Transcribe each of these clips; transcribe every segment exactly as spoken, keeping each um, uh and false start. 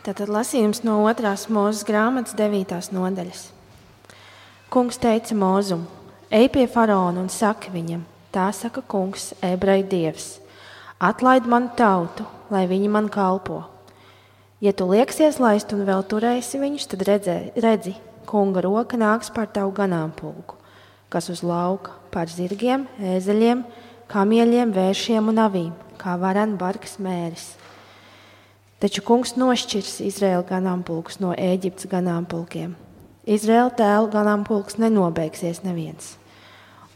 Tātad lasījums no otrās Mūzes grāmatas devītās nodaļas. Kungs teica Mūzum: ej pie faraona un saki viņam, tā saka kungs, ebreju dievs, atlaid manu tautu, lai viņi man kalpo. Ja tu lieksies laist un vēl turēsi viņus, tad redzē, redzi, kunga roka nāks pār tavu ganāmpulku, kas uz lauka, pār zirgiem, ēzeļiem, kamieļiem, vēršiem un avīm, kā varan bargs mēris. Taču kungs nošķirs Izraēla ganāmpulkus no Ēģiptes ganāmpulkiem. Izraēla tēlu ganāmpulks nenobeigsies neviens.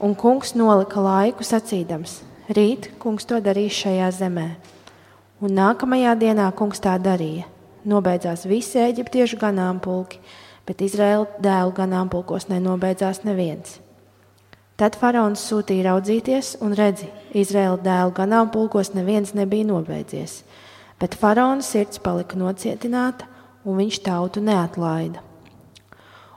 Un kungs nolika laiku sacīdams: rīt kungs to darīs šajā zemē. Un nākamajā dienā kungs tā darīja. Nobeidzās visi eģiptiešu ganāmpulki, bet Izraēla dēlu ganāmpulkos nenobeidzās neviens. Tad faraons sūtīja raudzīties un redzi, Izraēla dēlu ganāmpulkos neviens nebija nobeidzies. Bet faraona sirds palika nocietināta, un viņš tautu neatlaida.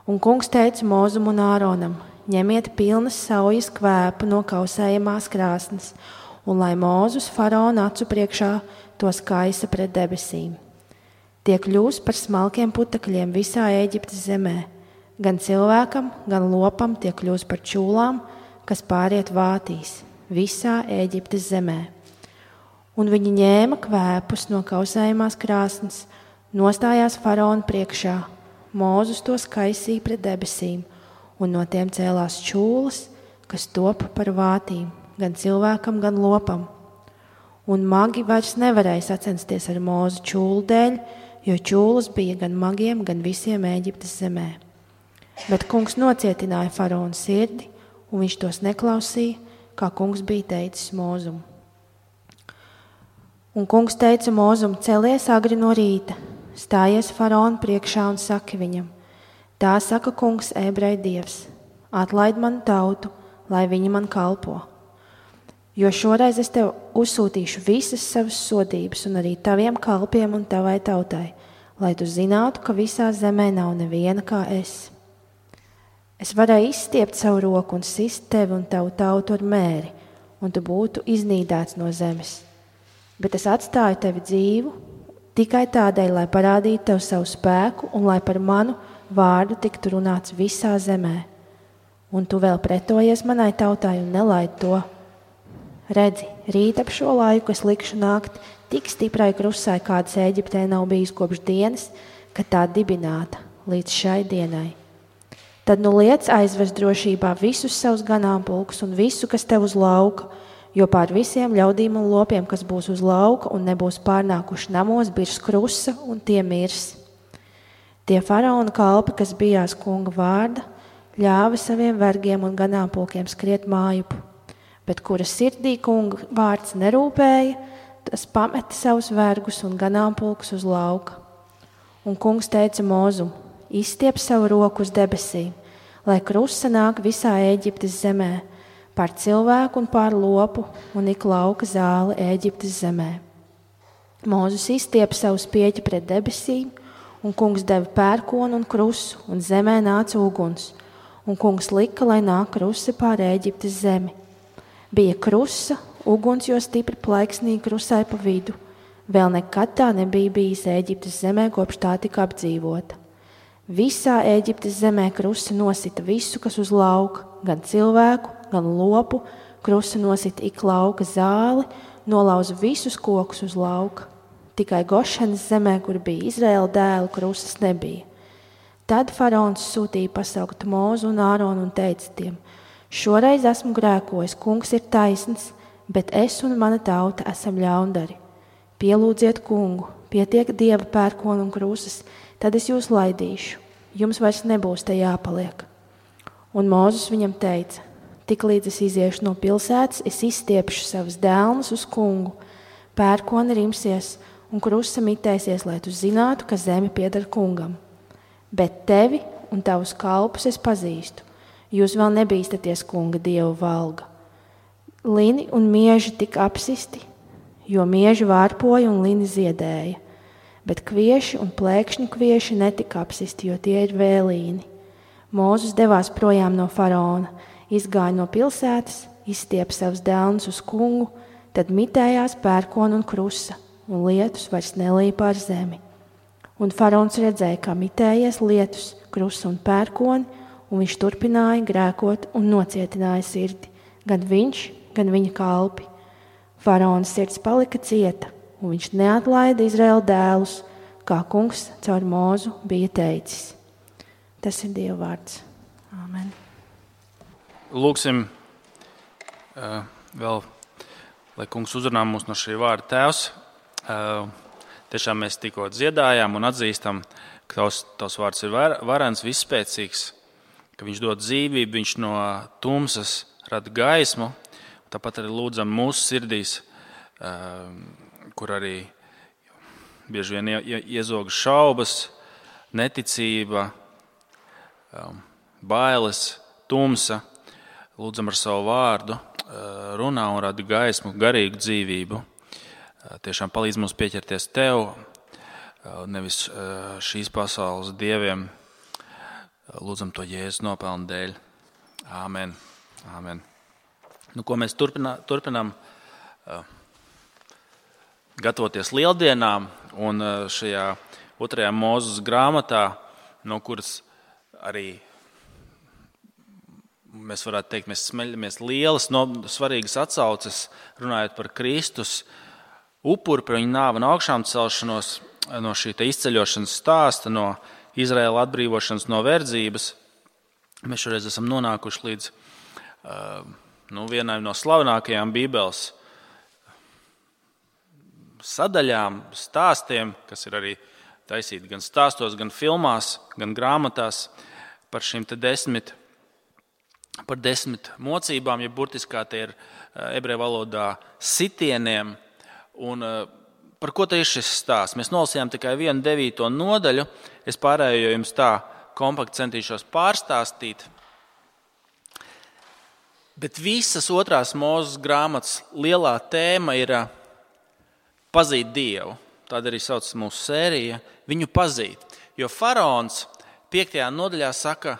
Un kungs teica Mūzum un Āronam: ņemiet pilnas saujas kvēpu no kausējamās krāsnes, un lai Mūzus faraona acu priekšā tos kaisa pret debesīm. Tie kļūs par smalkiem putekļiem visā Ēģiptes zemē, gan cilvēkam, gan lopam tie kļūs par čūlām, kas pāriet vātīs visā Ēģiptes zemē. Un viņi ņēma kvēpus no kausējumās krāsnes, nostājās faraona priekšā, Mūzus tos kaisīja pret debesīm, un no tiem cēlās čūlas, kas top par vātīm, gan cilvēkam, gan lopam. Un magi vairs nevarēja sacensties ar Mūzu čūlu dēļ, jo čūlas bija gan magiem, gan visiem Ēģiptes zemē. Bet kungs nocietināja faraona sirdi, un viņš tos neklausīja, kā kungs bija teicis Mūzum. Un kungs teica Mūzum: celies agri no rīta, stājies faraona priekšā un saki viņam: tā saka kungs, ebreju dievs, atlaid manu tautu, lai viņi man kalpo. Jo šoreiz es tev uzsūtīšu visas savas sodības un arī taviem kalpiem un tavai tautai, lai tu zinātu, ka visā zemē nav neviena kā es. Es varēju izstiept savu roku un sist tevi un tavu tautu ar mēri, un tu būtu iznīdēts no zemes. Bet es atstāju tevi dzīvu tikai tādēļ, lai parādītu tev savu spēku un lai par manu vārdu tiktu runāts visā zemē. Un tu vēl pretojies manai tautai un nelaid to. Redzi, rīt ap šo laiku es likšu nākt tik stiprai krusai, kādas Ēģiptē nav bijis kopš dienas, kad tā dibināta līdz šai dienai. Tad nu liec aizvest drošībā visus savus ganāmpulkus un visu, kas tev uz lauka, jo pār visiem ļaudīm un lopiem, kas būs uz lauka un nebūs pārnākuši namos, birs krusa un tie mirs. Tie faraona kalpi, kas bijās kunga vārda, ļāva saviem vergiem un ganāmpulkiem skriet mājupu, bet kura sirdī kunga vārds nerūpēja, tas pameta savus vergus un ganāmpulkus uz lauka. Un kungs teica Mūzum: izstiep savu roku uz debesīm, lai krusa nāk visā Ēģiptes zemē, pār cilvēku un pār lopu un ik lauka zāli Ēģiptes zemē. Mūzus izstiepa savu spieķi pret debesīm, un kungs deva pērkonu un krusu, un zemē nāca uguns, un kungs lika, lai nāk krusi pār Ēģiptes zemi. Bija krusa, uguns, jo stipri plaiksnīja krusai pa vidu. Vēl nekad tā nebija bijis Ēģiptes zemē, kopš tā tika apdzīvota. Visā Ēģiptes zemē krusa nosita visu, kas uz lauka, gan cilvēku, gan lopu, krusa nosita ik lauka zāli, nolauza visus kokus uz lauka. Tikai Gošenas zemē, kur bija Izraēla dēlu, krusas nebija. Tad faraons sūtīja pasaukt Mūzu un Āronu un teica tiem: šoreiz esmu grēkojis, kungs ir taisns, bet es un mana tauta esam ļaundari. Pielūdziet kungu, pietiek dieva pērkonu un krusas, tad es jūs laidīšu, jums vairs nebūs te jāpaliek. Un Mūzus viņam teica: tik līdz es iziešu no pilsētas, es izstiepšu savus dēlnus uz kungu, pērkoni rimsies un krusa mitēsies, lai tu zinātu, ka zeme pieder kungam. Bet tevi un tavus kalpus es pazīstu, jūs vēl nebīstaties kunga dievu valga. Lini un mieži tika apsisti, jo mieži vārpoja un lini ziedēja, bet kvieši un plēkšņu kvieši netika apsisti, jo tie ir vēlīni. Mūzus devās projām no faraona, izgāja no pilsētas, izstiepa savus dēlnus uz kungu, tad mitējās pērkona un krusa, un lietus vairs nelīja pār zemi. Un faraons redzēja, kā mitējies lietus, krusts un pērkoni, un viņš turpināja grēkot un nocietināja sirdi, gan viņš, gan viņa kalpi. Faraona sirds palika cieta, un viņš neatlaida Izraēla dēlus, kā kungs caur Mūzu bija teicis. Tas ir Dieva vārds. Āmen. Lūksim uh, vēl, lai kungs uzrunā mūs no šī vārda Tēvs. Uh, tiešām mēs tikko dziedājām un atzīstam, ka tavs, tavs vārds ir var, varens, visspēcīgs, ka viņš dod dzīvību, viņš no tumsas rada gaismu. Tāpat arī lūdzam mūsu sirdīs, uh, kur arī bieži vien ie, iezog šaubas, neticība, um, bailes, tumsa. Lūdzam ar savu vārdu, runā un rada gaismu, garīgu dzīvību. Tiešām palīdz mums pieķerties Tev, nevis šīs pasaules dieviem. Lūdzam to Jēzus nopelnu dēļ. Āmen. Āmen. Nu, ko mēs turpinā, turpinām gatavoties lieldienām, un šajā otrajā Mūzes grāmatā, no kuras arī mēs varētu teikt, mēs smeļamies lielas, no, svarīgas atsauces, runājot par Kristus upuri, par viņa nāvi un augšām celšanos, no šī izceļošanas stāsta, no Izraēla atbrīvošanas no verdzības. Mēs šoreiz esam nonākuši līdz uh, nu, vienai no slavenākajām Bībeles sadaļām, stāstiem, kas ir arī taisīti gan stāstos, gan filmās, gan grāmatās par šīm te desmit par desmit mocībām, ja burtiski kā tie ir ebreju valodā sitieniem. Un par ko te ir šis stāsts? Mēs nolasījām tikai vienu devīto nodaļu. Es pārējo jums tā kompakti centīšos pārstāstīt. Bet visas otrās Mūzes grāmatas lielā tēma ir pazīt Dievu. Tāda arī sauc mūsu sērija, viņu pazīt. Jo faraons piektajā nodaļā saka,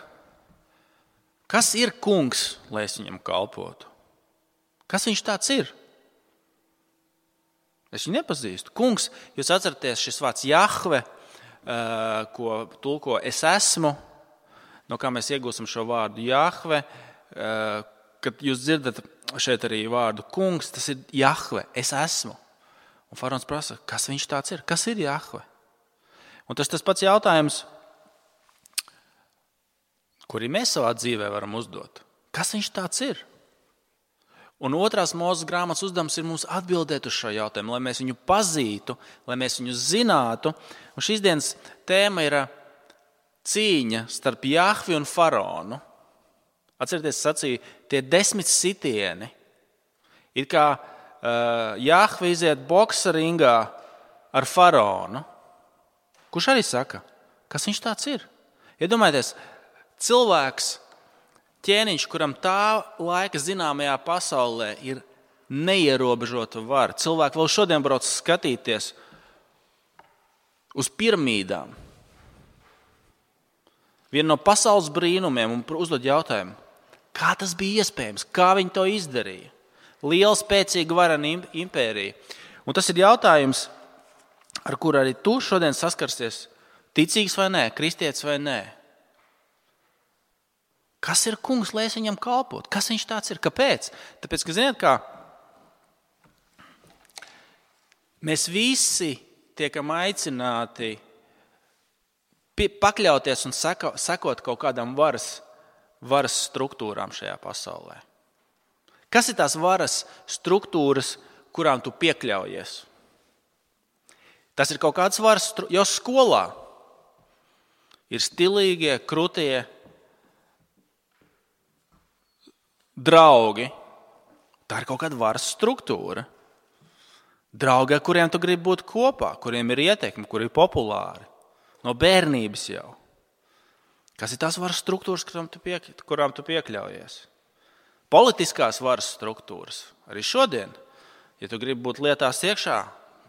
kas ir kungs, lai es viņam kalpotu? Kas viņš tāds ir? Es viņu nepazīstu. Kungs, jūs atceraties šis vārds Jahve, ko tulko es esmu, no kā mēs iegūstam šo vārdu Jahve, kad jūs dzirdat šeit arī vārdu kungs, tas ir Jahve, es esmu. Un faraons prasa, kas viņš tāds ir? Kas ir Jahve? Un tas tas pats jautājums, kuri mēs savā dzīvē varam uzdot. Kas viņš tāds ir? Un otrās Mūzes grāmatas uzdevums ir mums atbildēt uz šo jautājumu, lai mēs viņu pazītu, lai mēs viņu zinātu. Un šīs dienas tēma ir cīņa starp Jahvi un faraonu. Atcerieties, sacīja, tie desmit sitieni. Ir kā uh, Jahvi iziet boksa ringā ar faraonu. Kurš arī saka, kas viņš tāds ir? Iedomājieties, cilvēks, ķēniņš, kuram tā laika zināmajā pasaulē ir neierobežota vara. Cilvēki vēl šodien brauc skatīties uz piramīdām. Viena no pasaules brīnumiem un uzdod jautājumu, kā tas bija iespējams, kā viņi to izdarīja. Liela, spēcīga varena impērija. Un tas ir jautājums, ar kuru arī tu šodien saskarsies, ticīgs vai nē, kristietis vai nē. Kas ir kungs, lai es viņam kalpotu? Kas viņš tāds ir? Kāpēc? Tāpēc, ka, ziniet kā, mēs visi tiekam aicināti pakļauties un seko, sekot kaut kādām varas, varas struktūrām šajā pasaulē. Kas ir tās varas struktūras, kurām tu piekļaujies? Tas ir kaut kāds varas struktūras, jo skolā ir stilīgie, krutie draugi. Tā ir kaut kāda varas struktūra. Draugi, ar kuriem tu gribi būt kopā, kuriem ir ieteikumi, kuri ir populāri. No bērnības jau. Kas ir tās varas struktūras, kurām tu, piek, kurām tu piekļaujies? Politiskās varas struktūras. Arī šodien, ja tu gribi būt lietās iekšā,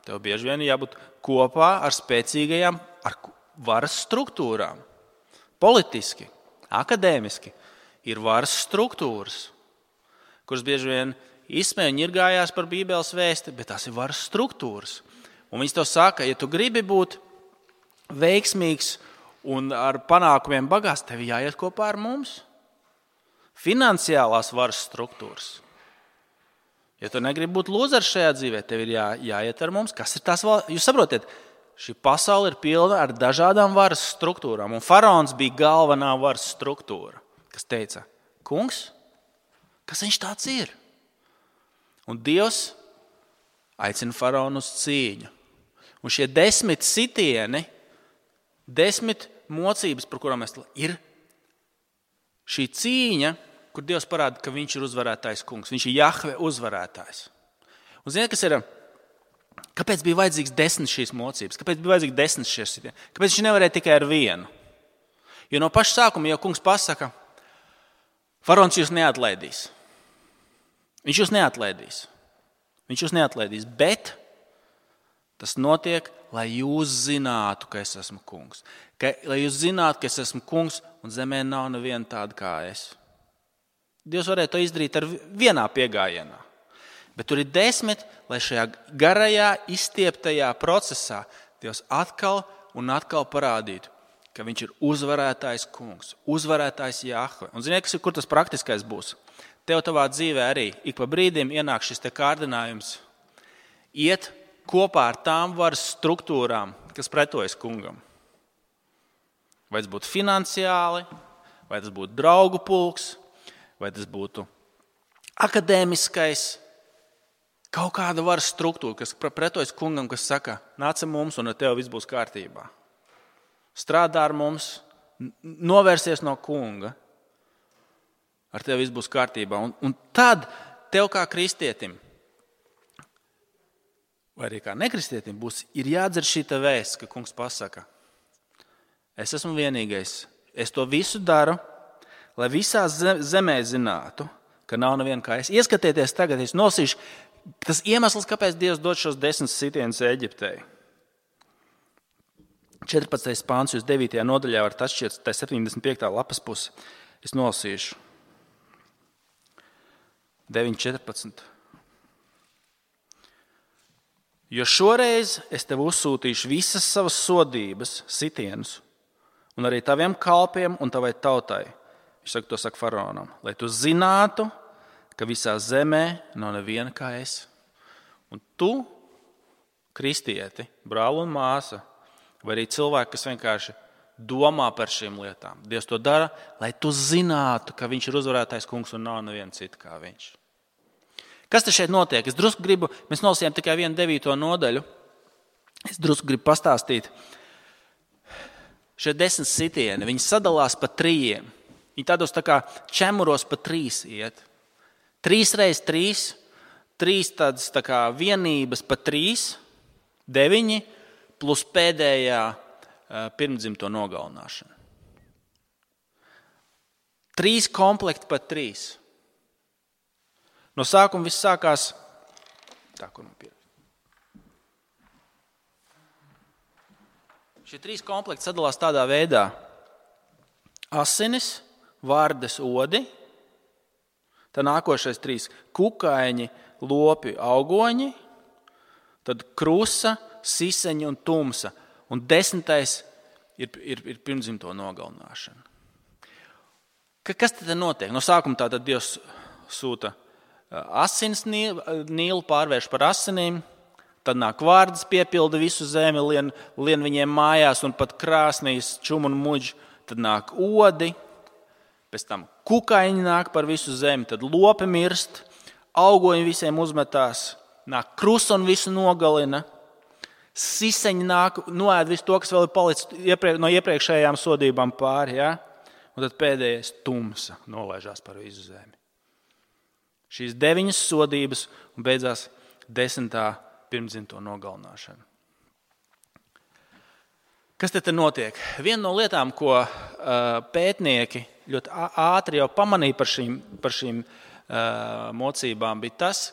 tev bieži vien jābūt kopā ar spēcīgajām ar varas struktūrām. Politiski, akadēmiski ir varas struktūras, kuras bieži vien izsmē un ņirgājās par Bībeles vēsti, bet tās ir varas struktūras. Un viņas tev saka, ja tu gribi būt veiksmīgs un ar panākumiem bagāts, tev jāiet kopā ar mums. Finansiālās varas struktūras. Ja tu negribi būt lūzers šajā dzīvē, tev ir jā, jāiet ar mums. Kas ir tās valsts? Jūs saprotiet, šī pasaule ir pilna ar dažādām varas struktūrām. Un faraons bija galvenā varas struktūra, kas teica, kungs, kas viņš tāds ir? Un Dievs aicina faraonu uz cīņu. Un šie desmit sitieni, desmit mocības, par kurām mēs ir šī cīņa, kur Dievs parāda, ka viņš ir uzvarētājs kungs. Viņš ir Jahve uzvarētājs. Un ziniet, kas ir, kāpēc bija vajadzīgs desmit šīs mocības? Kāpēc bija vajadzīgs desmit šīs sitieni? Kāpēc viņš nevarēja tikai ar vienu? Jo no paša sākuma jau kungs pasaka, faraons jūs neatlaidīs. Viņš jūs neatlaidīs. Viņš jūs neatlaidīs, bet tas notiek, lai jūs zinātu, ka es esmu kungs. Ka, lai jūs zinātu, ka es esmu kungs un zemē nav neviena tāda kā es. Dievs varēja to izdarīt ar vienā piegājienā. Bet tur ir desmit, lai šajā garajā, izstieptajā procesā Dievs atkal un atkal parādītu, ka viņš ir uzvarētājs kungs, uzvarētājs Jahve. Un ziniet, kas ir, kur tas praktiskais būs? Tev tavā dzīvē arī ik pa brīdim ienāk šis te kārdinājums iet kopā ar tām varas struktūrām, kas pretojas kungam. Vai tas būtu finansiāli, vai tas būtu draugu pulks, vai tas būtu akadēmiskais, kaut kāda varas struktūra, kas pretojas kungam, kas saka, nāc mums un ar tevi viss būs kārtībā. Strādā ar mums, novērsies no kunga, ar tevi viss būs kārtībā. Un, un tad tev kā kristietim, vai arī kā nekristietim, būs, ir jādzird šī te vēsts, ka kungs pasaka, es esmu vienīgais, es to visu daru, lai visā zemē zinātu, ka nav neviena kā es. Ieskatieties tagad, es nosīšu, tas iemesls, kāpēc Dievs dod šos desmit sitienus Eģiptei. četrpadsmitais pāns, jūs devītajā nodaļā varat atšķirt, tā septiņdesmit piektā lapas puse. Es nolasīšu. deviņi četrpadsmit. Jo šoreiz es tev uzsūtīšu visas savas sodības, sitienus, un arī taviem kalpiem un tavai tautai. Viņš saka, to saka faraonam, lai tu zinātu, ka visā zemē nav neviena kā es. Un tu, kristieti, brāli un māsa, vai arī cilvēki, kas vienkārši domā par šīm lietām. Dievs to dara, lai tu zinātu, ka viņš ir uzvarētājs kungs un nav neviena cita kā viņš. Kas te šeit notiek? Es drusku gribu, mēs nolasījām tikai vienu devīto nodaļu. Es drusku gribu pastāstīt. Šie desmit sitieni, viņi sadalās pa trījiem. Viņi tādos tā kā čemuros pa trīs iet. Trīs reiz trīs, trīs tādas tā kā vienības pa trīs, deviņi, plus pēdējā pirmdzimto nogalināšana. Trīs komplekti pa trīs. No sākuma viss sākās tā, kur man pierakst. Šie trīs komplekti sadalās tādā veidā. Asinis, vardes odi, tad nākošais trīs kukaiņi, lopi, augoņi, tad krusa, siseņi un tumsa. Un desmitais ir, ir, ir pirmdzimto nogalināšana. Kas tad notiek? No sākuma tātad Dievs sūta asins Nīlu, pārvērš par asinīm, tad nāk vārdas, piepilda visu zemi, lien, lien viņiem mājās un pat krāsnīs čum un muģi, tad nāk odi, pēc tam kukaiņi nāk par visu zemi, tad lopi mirst, augoņi visiem uzmetās, nāk krusa un visu nogalina, siseņi nāk, noēd visu to, kas vēl ir palicis iepriek, no iepriekšējām sodībām pāri, ja? Un tad pēdējais tumsa nolaižās par visu zemi. Šīs deviņas sodības un beidzās desmitā pirmdzimto nogalināšana. Kas te te notiek? Viena no lietām, ko uh, pētnieki ļoti ātri jau pamanīja par šīm, par šīm uh, mocībām, bija tas,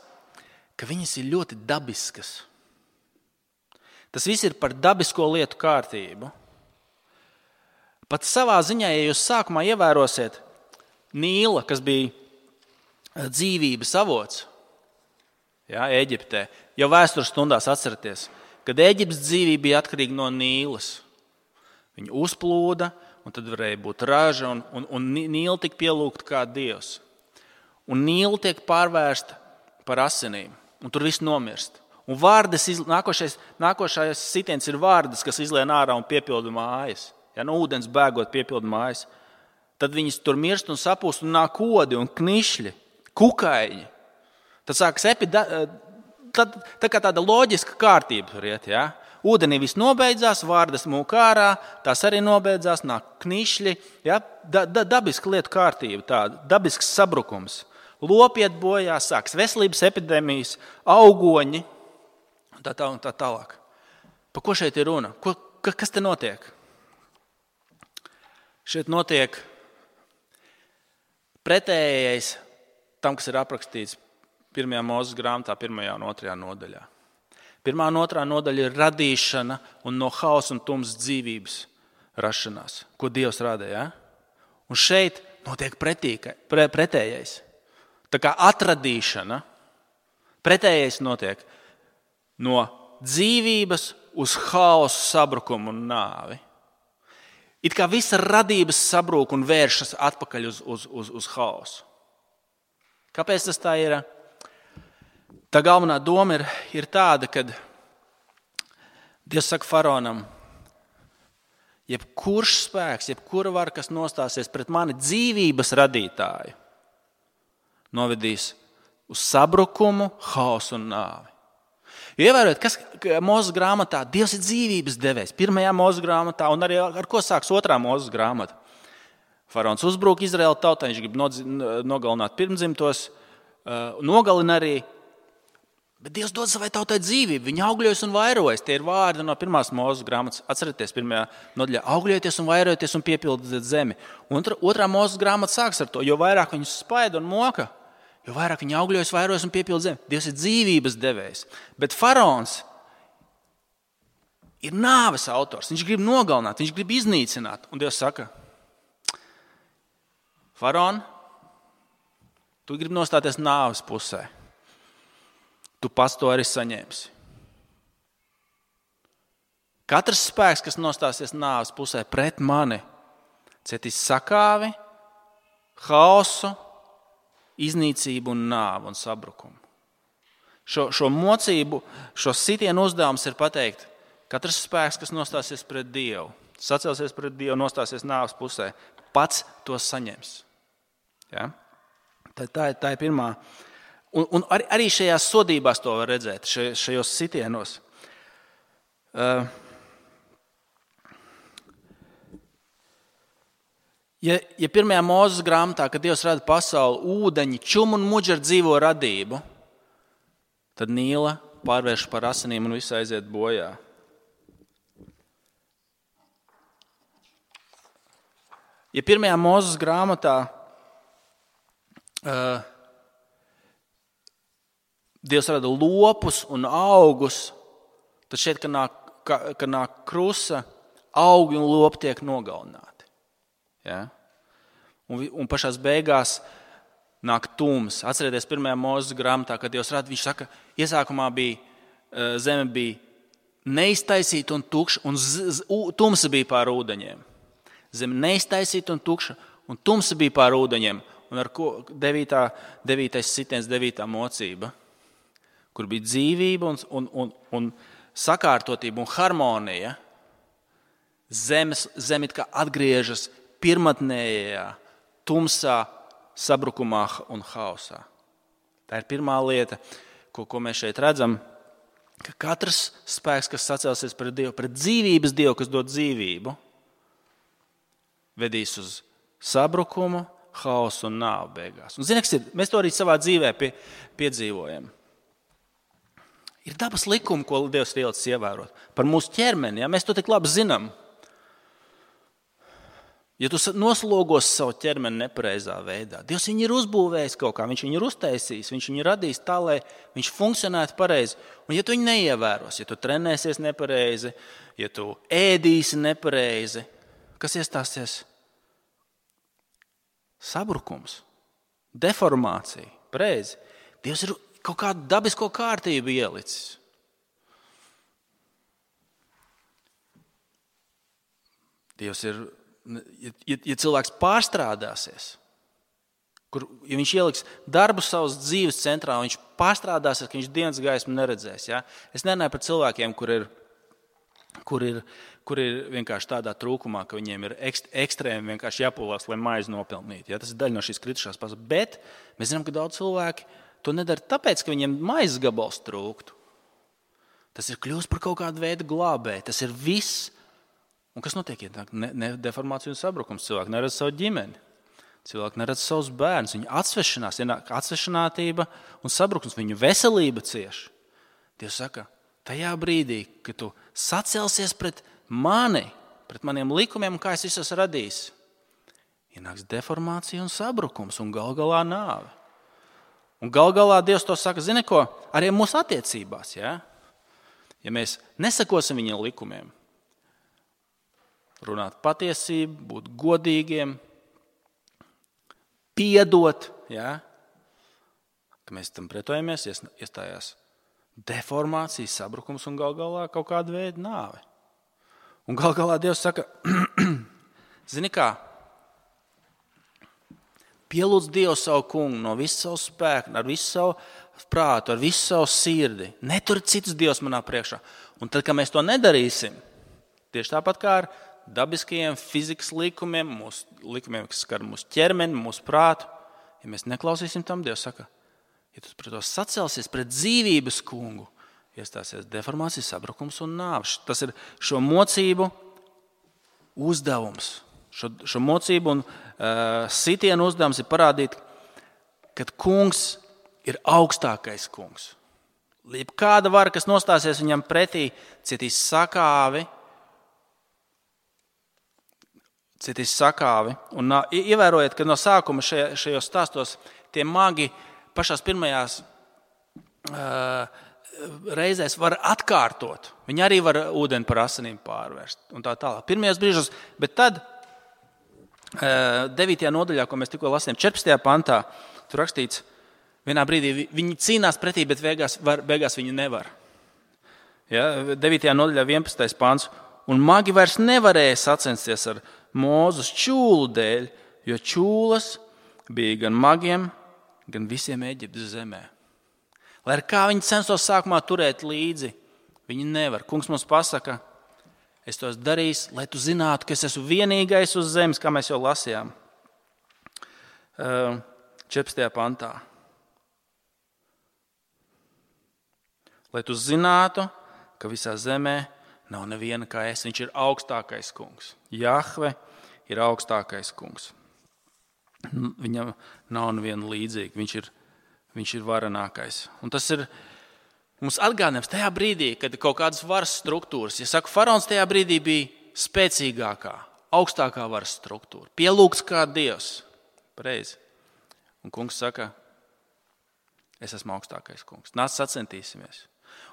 ka viņas ir ļoti dabiskas. Tas viss ir par dabisko lietu kārtību. Pat savā ziņā, ja jūs sākumā ievērosiet Nīla, kas bija dzīvības avots, jā, Ēģiptē, jau vēstures stundās atceraties, kad Ēģiptes dzīvība bija atkarīga no Nīlas. Viņi uzplūda, un tad varēja būt raža, un, un, un Nīla tika pielūgta kā dievs. Un Nīla tiek pārvērsta par asinīm, un tur viss nomirst. Un vārdas, nākošais, nākošais sitiens ir vārdas, kas izlien ārā un piepilda mājas. Ja, no ūdens bēgot piepilda mājas. Tad viņas tur mirst un sapūst, un nāk kodi un knišļi, kukaiņi. Tad sākas epida, tad, tā kā tāda loģiska kārtība tur iet. Ja? Ūdenī viss nobeidzās, vārdas mūk ārā, tās arī nobeidzās, nāk knišļi. Ja? Da, da, dabiska lietu kārtība, tāda, dabisks sabrukums. Lopi iet bojā, sāks veselības epidēmijas, augoņi. Tā, tā, tā tālāk. Par ko šeit ir runa? Ko, kas te notiek? Šeit notiek pretējais tam, kas ir aprakstīts pirmajā Mūzes grāmatā, pirmajā un otrajā nodaļā. Pirmā un otrā nodaļa ir radīšana un no hausa un tumsas dzīvības rašanās, ko Dievs radīja. Ja? Un šeit notiek pretīka, pre, pretējais. Tā kā atradīšana, pretējais notiek no dzīvības uz hausu, sabrukumu un nāvi. It kā visa radības sabrūk un vēršas atpakaļ uz, uz, uz, uz hausu. Kāpēc tas tā ir? Tā galvenā doma ir, ir tāda, ka Dievs saka faraonam, jebkurš spēks, jebkura vara, kas nostāsies pret mani dzīvības radītāju, novedīs uz sabrukumu, hausu un nāvi. Ievērojot, kas Mūzes grāmatā, Dievs ir dzīvības devējs. Pirmajā Mūzes grāmatā, un arī ar ko sāks otrā Mūzes grāmata. Faraons uzbrūk Izraēla tautai, viņš grib nogalināt pirmdzimtos, nogalina arī, bet Dievs dod savai tautai dzīvību. Viņi augļojas un vairojas. Tie ir vārdi no pirmās Mūzes grāmatas. Atcerieties, pirmajā nodaļā augļojoties un vairojoties un piepildiet zemi. Un otrā Mūzes grāmata sāks ar to, jo vairāk viņus spaida un moka, jo vairāk viņi augļojas, vairojas un piepilda zemi. Dievs ir dzīvības devējs. Bet faraons ir nāves autors. Viņš grib nogalināt, viņš grib iznīcināt. Un Dievs saka, faraon, tu gribi nostāties nāves pusē. Tu pats to arī saņemsi. Katrs spēks, kas nostāsies nāves pusē pret mani, cietīs sakāvi, hausu, iznīcību un nāvu un sabrukumu. Šo, šo mocību, šo sitienu uzdevums ir pateikt, katrs spēks, kas nostāsies pret Dievu, sacelsies pret Dievu, nostāsies nāves pusē, pats to saņems. Ja? Tā, tā, tā ir pirmā. Un, un arī, arī šajās sodībās to var redzēt, šajos sitienos. Uh, Ja, ja pirmajā Mūzes grāmatā, kad Dievs rada pasauli, ūdeņi, čum un muģi ar dzīvo radību, tad Nīla pārvērš par asinīm un viss aiziet bojā. Ja pirmajā Mūzes grāmatā uh, Dievs rada lopus un augus, tad šeit, kad nāk, kad nāk krusa, augi un lopi tiek nogalināti. Ja? Un, un pašās beigās nāk tums. Atcerieties, pirmajā Mūzes grāmatā, kad Dievs rada, viņš saka, iesākumā bija zeme bija neiztaisīta un tukša, un z, z, tumsa bija pār ūdeņiem. Zeme neiztaisīta un tukša, un tumsa bija pār ūdeņiem. Un ar ko devītā, devītais sitiens, devītā mocība, kur bija dzīvība un, un, un, un sakārtotība un harmonija, zemes, zeme it kā atgriežas pirmatnējā, tumsā, sabrukumā un hausā. Tā ir pirmā lieta, ko, ko mēs šeit redzam, ka katrs spēks, kas sacelsies pret Dievu, pret dzīvības Dievu, kas dod dzīvību, vedīs uz sabrukumu, hausu un nāvu beigās. Un zini, kas ir? Mēs to arī savā dzīvē pie, piedzīvojam. Ir dabas likumi, ko Dievs ir ielicis ievērot. Par mūsu ķermeni, ja? Mēs to tik labi zinām. Ja tu noslogos savu ķermeni nepareizā veidā, Dievs viņu ir uzbūvējis kaut kā, viņš viņu ir uztaisījis, viņš viņu radījis tā, lai viņš funkcionētu pareizi. Un ja tu viņu neievēros, ja tu trenēsies nepareizi, ja tu ēdīsi nepareizi, kas iestāsies? Sabrukums, deformācija, pareizi. Dievs ir kaut kādu dabisko kārtību ielicis. Dievs ir, ja, ja cilvēks pārstrādāsies, kur, ja viņš ieliks darbu savas dzīves centrā, viņš pārstrādāsies, ka viņš dienas gaismu neredzēs. Ja? Es nerunāju par cilvēkiem, kur ir, kur ir, kur ir vienkārši tādā trūkumā, ka viņiem ir ekst, ekstrēmi vienkārši jāpulās, lai maizi nopelnītu. Ja? Tas ir daļa no šīs kritušās pasaules. Bet mēs zinām, ka daudz cilvēki to nedara tāpēc, ka viņiem maizes gabals trūktu. Tas ir kļūst par kaut kādu veidu glābēju. Tas ir viss. Un kas notiek? Ne, ne deformācija un sabrukums. Cilvēki neredz savu ģimeni. Cilvēki neredz savus bērnus. Viņi atsvešanās, ienāk atsvešinātība un sabrukums. Viņu veselība cieš. Dievs saka, tajā brīdī, kad tu sacelsies pret mani, pret maniem likumiem, kā es visu esmu radījis, ienāks deformācija un sabrukums un gal galā nāve. Un gal galā Dievs to saka, zini ko, arī mūsu attiecībās, ja? Ja mēs nesakosim viņiem likumiem, runāt patiesību, būt godīgiem, piedot, ja? Ka mēs tam pretojamies, iestājās deformācija, sabrukums un gal galā kaut kāda veida nāve. Un gal galā Dievs saka, zini kā, pielūdz Dievu savu kungu no visu savu spēku, ar visu savu prātu, ar visu savu sirdi. Netur citus Dievs manā priekšā. Un tad, kad mēs to nedarīsim, tieši tāpat kā ar dabiskajiem fizikas likumiem, mūsu likumiem, kas skar mūsu ķermeni, mūsu prātu, ja mēs neklausīsim tam, Dievs saka, ja tu pret to sacelsies pret dzīvības kungu, iestāsies deformācija, sabrukums un nāves. Tas ir šo mocību uzdevums. Šo, šo mocību un uh, sitienu uzdevums ir parādīt, ka kungs ir augstākais kungs. Kāda vara, kas nostāsies viņam pretī, cietīs sakāvi, cietīs sakāvi. Un uh, ievērojiet, ka no sākuma šajā, šajos stāstos tie magi pašās pirmajās uh, reizēs var atkārtot. Viņi arī var ūdeni par asinīm pārvērst un tā tālāk. Pirmajos brīžos, bet tad devītajā nodaļā, ko mēs tikko lasījām, četrpadsmitajā pantā, tur rakstīts, vienā brīdī viņi cīnās pretī, bet beigās, var, beigās viņi nevar. Ja, devītajā nodaļā vienpadsmitais pants. Un magi vairs nevarēja sacensties ar Mūzes čūlu dēļ, jo čūlas bija gan magiem, gan visiem Eģiptes zemē. Lai ar kā viņi censtos sākumā turēt līdzi, viņi nevar. Kungs mums pasaka, es to esmu darījis, lai tu zinātu, ka es esmu vienīgais uz zemes, kā mēs jau lasījām. četrpadsmitajā pantā. Lai tu zinātu, ka visā zemē nav neviena kā es. Viņš ir augstākais kungs. Jahve ir augstākais kungs. Viņam nav neviena līdzīga. Viņš ir, viņš ir varenākais. Un tas ir mums atgādinājums tajā brīdī, kad ir kaut kādas varas struktūras. Ja saku, faraons tajā brīdī bija spēcīgākā, augstākā varas struktūra. Pielūgts kā Dievs. Pareizi. Un kungs saka, es esmu augstākais kungs. Nāc sacentīsimies.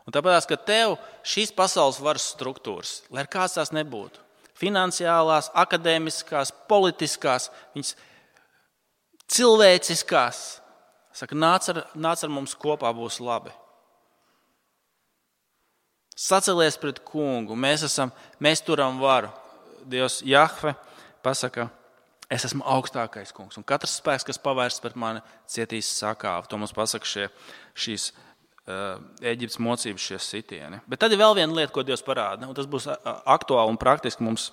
Un tāpēc, ka tev šīs pasaules varas struktūras, lai ar kāds tās nebūtu, finansiālās, akadēmiskās, politiskās, viņas cilvēciskās, saka, nāc ar, nāc ar mums kopā, būs labi. Sacelies pret kungu, mēs, esam, mēs turam varu. Dievs Jahve pasaka, es esmu augstākais kungs. Un katrs spēks, kas pavērsts pret mani, cietīs sakāvi. To mums pasaka šie, šīs uh, Eģiptes mocības, šie sitieni. Bet tad ir vēl viena lieta, ko Dievs parāda. Un tas būs aktuāli un praktiski mums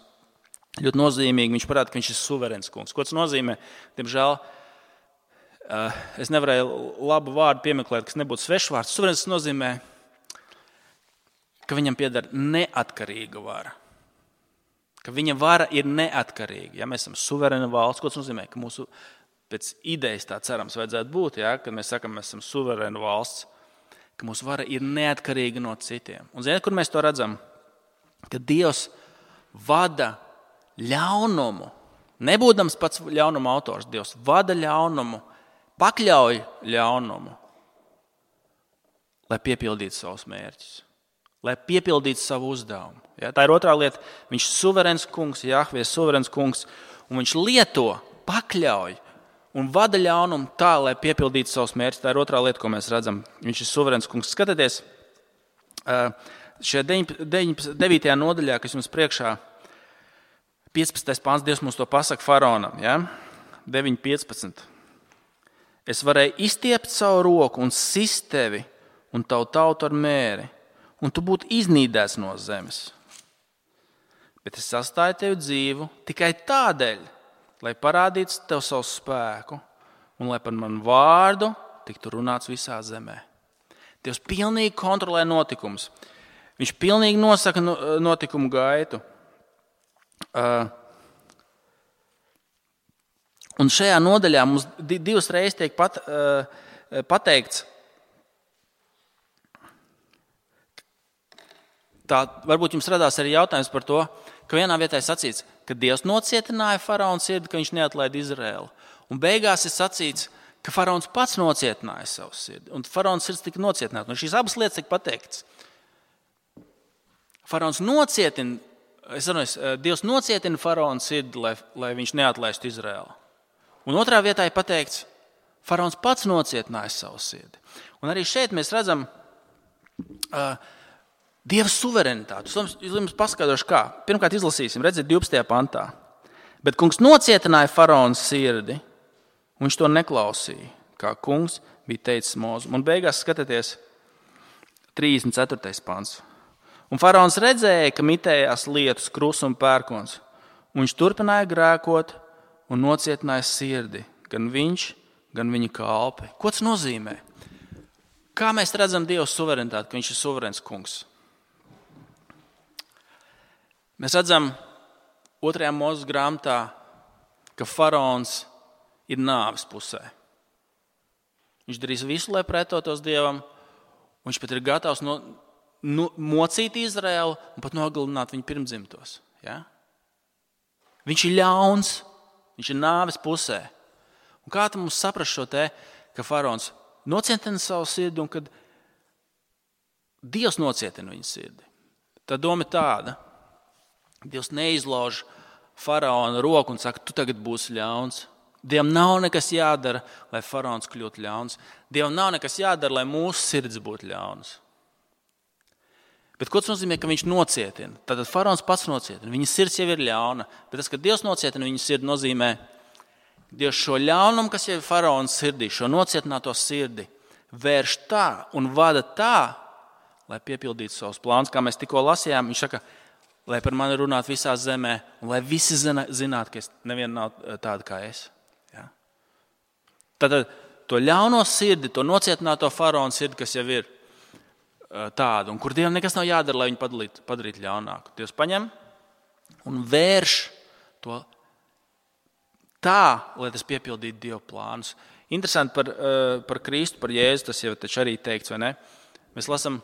ļoti nozīmīgi. Viņš parāda, ka viņš ir suverēns kungs. Ko tas nozīmē? Diemžēl uh, es nevarēju labu vārdu piemeklēt, kas nebūtu svešvārds. Suverēns nozīmē, ka viņam pieder neatkarīga vara. Ka viņa vara ir neatkarīga. Ja mēs esam suverēna valsts, ko tas nozīmē? Ka mūsu pēc idejas tā cerams vajadzētu būt, ja? Kad mēs sakam, mēs esam suverēna valsts, ka mūsu vara ir neatkarīga no citiem. Un ziniet, kur mēs to redzam? Ka Dievs vada ļaunumu, nebūdams pats ļaunuma autors, Dievs vada ļaunumu, pakļauj ļaunumu, lai piepildītu savus mērķus. Lai piepildītu savu uzdevumu. Ja, tā ir otrā lieta. Viņš ir suverēns kungs, Jahve ir suverēns kungs, un viņš lieto, pakļauj un vada ļaunumu tā, lai piepildītu savus mērķus. Tā ir otrā lieta, ko mēs redzam. Viņš ir suverēns kungs. Skatieties, šajā devītajā nodaļā, kas jums priekšā, piecpadsmitais pāns Dievs mums to pasaka faraonam. Ja? deviņi piecpadsmit. Es varēju izstiept savu roku un sist tevi un tavu tautu ar mēri, un tu būtu iznīdēts no zemes. Bet es sastāju tevi dzīvu tikai tādēļ, lai parādītu tev savu spēku un lai par manu vārdu tiktu runāts visā zemē. Dievs pilnīgi kontrolē notikumus. Viņš pilnīgi nosaka notikumu gaitu. Uh, un šajā nodaļā mums divas reizes tiek pat, uh, pateikts, tā, varbūt jums radās arī jautājums par to, ka vienā vietā ir sacīts, ka Dievs nocietināja faraona sirdi, ka viņš neatlaida Izraēlu. Un beigās ir sacīts, ka faraons pats nocietināja savu sirdi. Un faraona sirds tika nocietināta. Un šīs abas lietas tika pateiktas. Faraons nocietina, es runāju, Dievs nocietina faraona sirdi, lai, lai viņš neatlaistu Izraēlu. Un otrā vietā ir pateikts, faraons pats nocietināja savu sirdi. Un arī šeit mēs redzam uh, Dieva suverenitāti. Es jums paskaidrošu, kā. Pirmkārt izlasīsim, redziet, divpadsmitajā pantā. Bet kungs nocietināja faraona sirdi, un viņš to neklausīja, kā kungs bija teicis Mozum. Un beigās skatieties trīsdesmit ceturtais pants. Un faraons redzēja, ka mitējās lietus, krus un pērkons, un viņš turpināja grēkot un nocietināja sirdi, gan viņš, gan viņa kalpi. Ko tas nozīmē? Kā mēs redzam Dieva suverenitāti, ka viņš ir suverēns kungs? Mēs redzam otrajā Mūzes grāmatā, ka faraons ir nāves pusē. Viņš darīs visu, lai pretotos Dievam, un viņš pat ir gatavs no, no, mocīt Izraēlu un pat nogalināt viņu pirmdzimtos. Ja? Viņš ir ļauns, viņš ir nāves pusē. Un kā tam mums saprast šo te, ka faraons nocietina savu sirdi un kad Dievs nocietina viņa sirdi? Tā doma ir tāda. Dievs neizlauž faraona roku un saka, tu tagad būsi ļauns. Dievam nav nekas jādara, lai faraons kļūtu ļauns. Dievam nav nekas jādara, lai mūsu sirds būtu ļauns. Bet ko tas nozīmē, ka viņš nocietina? Tātad faraons pats nocietina. Viņa sirds jau ir ļauna. Bet tas, ka Dievs nocietina viņa sirdi, nozīmē, Dievs šo ļaunumu, kas jau ir faraona sirdī, šo nocietināto sirdi, vērš tā un vada tā, lai piepildītu savus plānus. Kā mēs tikko lasījām, viņš saka, lai par mani runātu visā zemē, un lai visi zinātu, ka es neviena nav tāda kā es. Ja? Tātad to ļauno sirdi, to nocietināto faraona sirdi, kas jau ir tāda, un kur Dievam nekas nav jādara, lai viņu padarītu, padarītu ļaunāku. Dievs paņem un vērš to tā, lai tas piepildītu Dieva plānus. Interesanti par, par Kristu, par Jēzu, tas jau taču arī teikts, vai ne? Mēs lasam,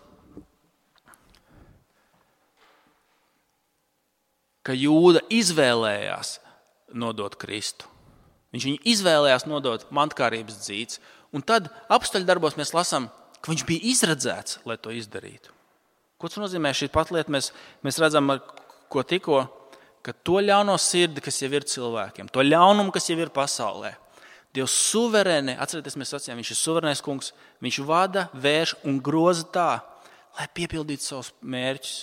ka Jūda izvēlējās nodot Kristu. Viņš viņu izvēlējās nodot mantkārības dzīts. Un tad apstuļu darbos mēs lasām, ka viņš bija izredzēts, lai to izdarītu. Ko tas nozīmē? Šī pat lieta mēs, mēs redzam, ko tikko, ka to ļauno sirdi, kas jau ir cilvēkiem, to ļaunumu, kas jau ir pasaulē, Dievs suverēni, atcerieties, mēs sacījām, viņš ir suverēnais kungs, viņš vada, vērš un groza tā, lai piepildītu savus mērķus.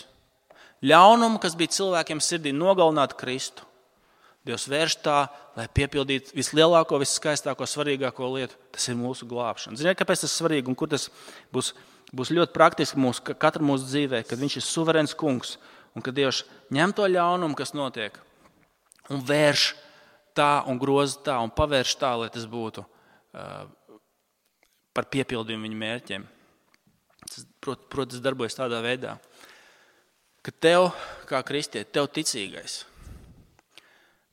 Ļaunumu, kas bija cilvēkiem sirdī nogalināt Kristu, Dievs vērš tā, lai piepildītu vislielāko, visskaistāko, svarīgāko lietu. Tas ir mūsu glābšana. Ziniet, kāpēc tas ir svarīgi un kur tas būs, būs ļoti praktiski mūsu, katra mūsu dzīvē, kad viņš ir suverēns kungs un kad Dievs ņem to ļaunumu, kas notiek, un vērš tā un groza tā un pavērš tā, lai tas būtu uh, par piepildījumu viņa mērķiem. Tas, prot, protams, darbojas tādā veidā, ka tev, kā kristieti, tev ticīgais,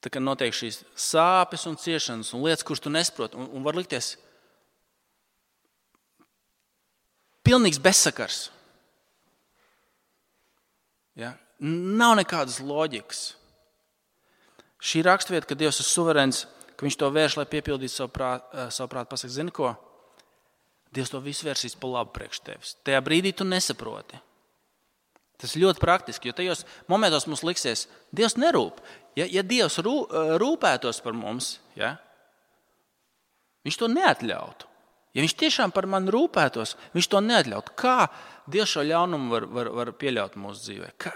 tā kā notiek šīs sāpes un ciešanas un lietas, kuras tu nesproti, un, un var likties pilnīgs bezsakars. Ja? Nav nekādas loģikas. Šī rakstvieta, ka Dievs ir suverēns, ka viņš to vērš, lai piepildītu savu prātu, savu prātu pasaka, zini ko? Dievs to visu vērsīs pa labu priekš tevis. Tajā brīdī tu nesaproti. Tas ir ļoti praktiski, jo tajos momentos mums liksies, Dievs nerūp. Ja, ja Dievs rū, rūpētos par mums, ja, viņš to neatļautu. Ja viņš tiešām par mani rūpētos, viņš to neatļautu. Kā Dievs šo ļaunumu var, var, var pieļaut mūsu dzīvē? Ka,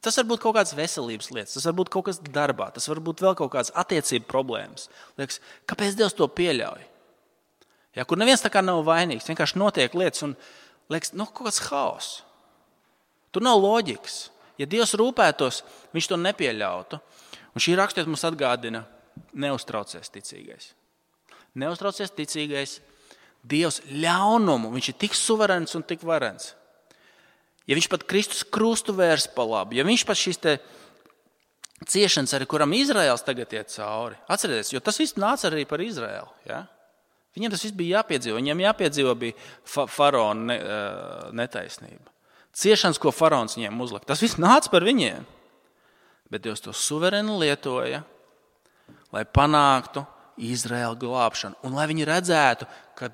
tas var būt kaut kādas veselības lietas, tas var būt kaut kas darbā, tas var būt vēl kaut kādas attiecību problēmas. Liekas, kāpēc Dievs to pieļauj? Ja, kur neviens tā kā nav vainīgs, vienkārši notiek lietas un liekas, nu, kaut kāds haoss. Tur nav loģikas. Ja Dievs rūpētos, viņš to nepieļautu. Un šī raksturība mums atgādina, neuztraucies ticīgais. Neuztraucies ticīgais. Dievs ļaunumu, viņš ir tik suverēns un tik varens. Ja viņš pat Kristus krustu vērs pa labu, ja viņš pat šīs te ciešanas, arī kuram Izraēls tagad iet cauri, atcerieties, jo tas viss nāca arī par Izraēlu. Ja? Viņiem tas viss bija jāpiedzīvo, viņiem jāpiedzīvo bija fa- faraona ne, netaisnība. Ciešanas, ko faraons viņiem uzlika, tas viss nāca par viņiem. Bet Dievs to suverēni lietoja, lai panāktu Izraēla glābšanu. Un lai viņi redzētu, ka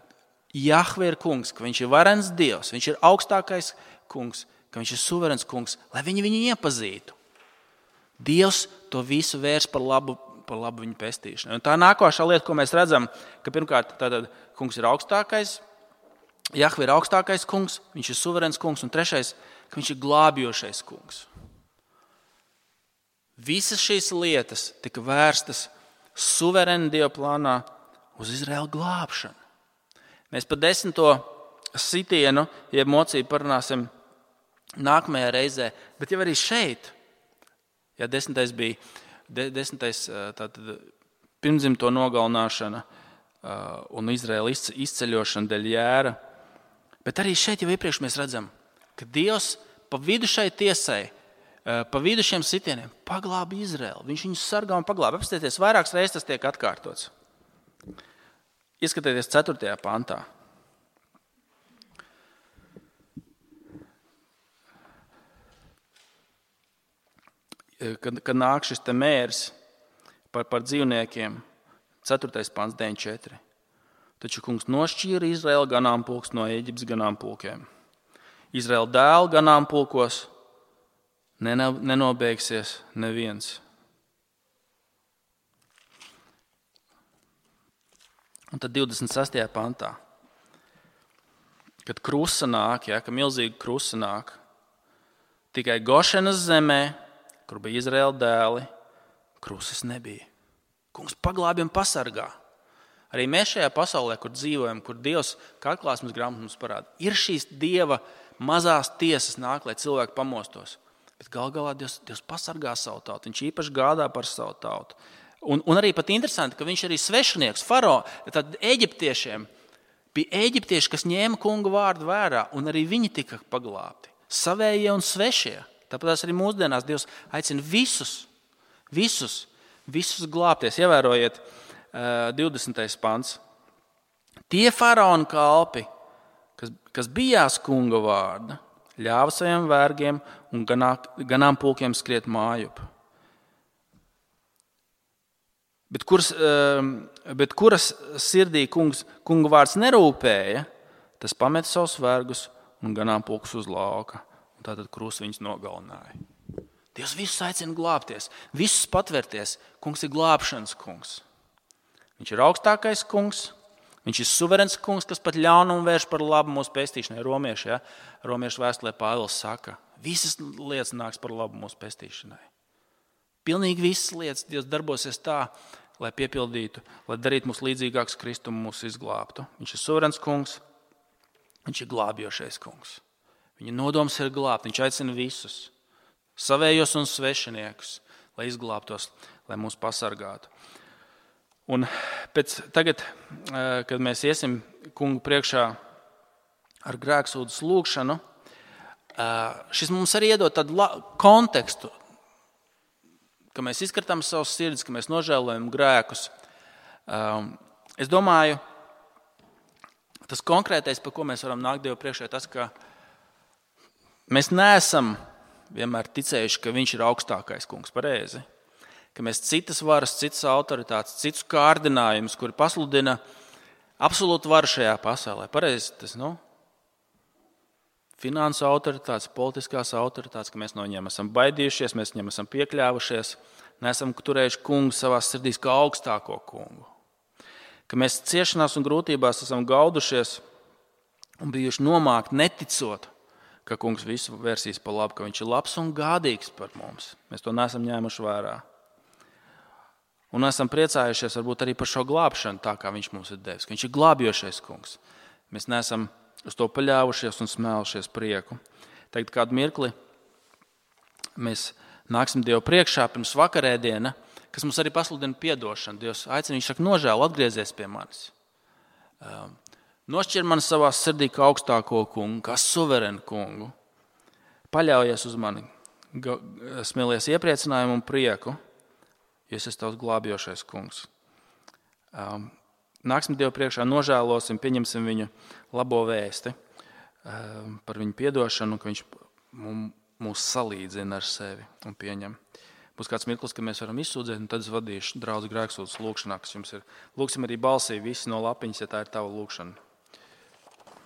Jahve ir kungs, ka viņš ir varens Dievs, viņš ir augstākais kungs, ka viņš ir suverens kungs, lai viņi viņu iepazītu. Dievs to visu vērs par labu, par labu viņu pestīšanai. Un tā nākošā lieta, ko mēs redzam, ka pirmkārt tātad kungs ir augstākais, Jahve ir augstākais kungs, viņš ir suverens kungs, un trešais, ka viņš ir glābjošais kungs. Visas šīs lietas tika vērstas suverēni Dieva plānā uz Izraēlu glābšanu. Mēs par desmito sitienu, jeb mocību parunāsim nākamajā reizē, bet jau arī šeit, ja desmitais bija, de, desmitais tātad pirmdzimto nogalināšana un Izraēla izceļošana dēļ jēra, bet arī šeit jau iepriekš mēs redzam, ka Dievs pa vidu šai tiesai, pa vidu šiem sitieniem paglāba Izraēlu. Viņš viņus sargā un paglāba. Apstieties, vairākas reizes tas tiek atkārtots. Ieskatieties ceturtajā pantā. Kad, kad nāk šis te mērs par, par dzīvniekiem, ceturtais pants, deviņi četri. Taču kungs nošķīra Izraēla ganāmpulks no Ēģiptes ganāmpulkiem. Izraēla dēlu ganāmpulkos nenobeigsies neviens. Un tad divdesmit sestajā pantā, kad krusa nāk, ja, ka milzīga krusa nāk, tikai Gošenas zemē, kur bija Izraēla dēli, krusas nebija. Kungs paglābj un pasargā. Arī mēs šajā pasaulē, kur dzīvojam, kur Dievs, kā atklāsmes grāmata mums parāda, ir šīs Dieva mazās tiesas nāk, lai cilvēki pamostos. Bet gal galā Dievs, Dievs pasargā savu tautu, viņš īpaši gādā par savu tautu. Un, un arī pat interesanti, ka viņš arī svešinieks, faro, tad eģiptiešiem bija eģiptieši, kas ņēma kunga vārdu vērā, un arī viņi tika paglābti. Savējie un svešie. Tāpēc arī mūsdienās Dievs aicina visus, visus, visus glābties. Ievērojiet uh, divdesmitais pants. Tie faraona kalpi, kas, kas bijās kunga vārda, ļāva saviem vergiem un ganā, ganāmpulkiem skriet mājup. Bet kuras, bet kuras sirdī kungs, kunga vārds nerūpēja, tas pameta savus vergus un ganāmpulkus uz lauka. Un tātad krusts viņus nogalināja. Dievs visus aicina glābties, visus patvērties. Kungs ir glābšanas kungs. Viņš ir augstākais kungs, viņš ir suverens kungs, kas pat ļaunumu vērš par labu mūsu pestīšanai. Romieši, ja? Romiešu vēstulē Pāvils saka, visas lietas nāks par labu mūsu pestīšanai. Pilnīgi visas lietas Dievs darbosies tā, lai piepildītu, lai darītu mūs līdzīgākus Kristumu, mūs izglābtu. Viņš ir suverens kungs, viņš ir glābjošais kungs. Viņa nodoms ir glābt, viņš aicina visus, savējos un svešiniekus, lai izglābtos, lai mūs pasargātu. Un pēc tagad, kad mēs iesim kungu priekšā ar grēksūdzes lūgšanu, šis mums arī iedod tādu kontekstu, ka mēs izskatām savus sirdis, ka mēs nožēlojam grēkus. Es domāju, tas konkrētais, par ko mēs varam nākt Dievu priekšā, tas, ka mēs neesam vienmēr ticējuši, ka viņš ir augstākais kungs, pareizi. Ka mēs citas varas, citas autoritātes, citus kārdinājumus, kuri pasludina absolūtu varu šajā pasaulē. Pareizi tas, nu? Finansu autoritātes, politiskās autoritātes, ka mēs no viņiem esam baidījušies, mēs viņiem esam piekļāvušies, neesam turējuši kungu savās sirdīs kā augstāko kungu. Ka mēs ciešanās un grūtībās esam gaudušies un bijuši nomākti neticot ka kungs visu vērsīs pa labu, ka viņš ir labs un gādīgs par mums. Mēs to neesam ņēmuši vērā. Un esam priecājušies varbūt arī par šo glābšanu, tā kā viņš mums ir devis, ka viņš ir glābjošais kungs. Mēs neesam uz to paļāvušies un smēlušies prieku. Tagad kādu mirkli mēs nāksim Dievu priekšā pirms vakarēdiena, kas mums arī pasludina piedošanu. Dievs aicina, viņš saka, nožēl, atgriezies pie manis. Nošķir mani savā sirdī kā augstāko kungu, kā suverenu kungu. Paļaujies uz mani, smēlies iepriecinājumu un prieku, jo es esmu tavs glābjošais kungs. Nāksim Dievu priekšā, nožēlosim, pieņemsim viņu labo vēsti par viņu piedošanu, ka viņš mūs salīdzina ar sevi un pieņem. Būs kāds mirklis, ka mēs varam izsūdzēt, un tad es vadīšu draudz grēksūdzes lūkšanā, kas jums ir. Lūksim arī balsī visi no lapiņas, ja tā ir tava lūkšana.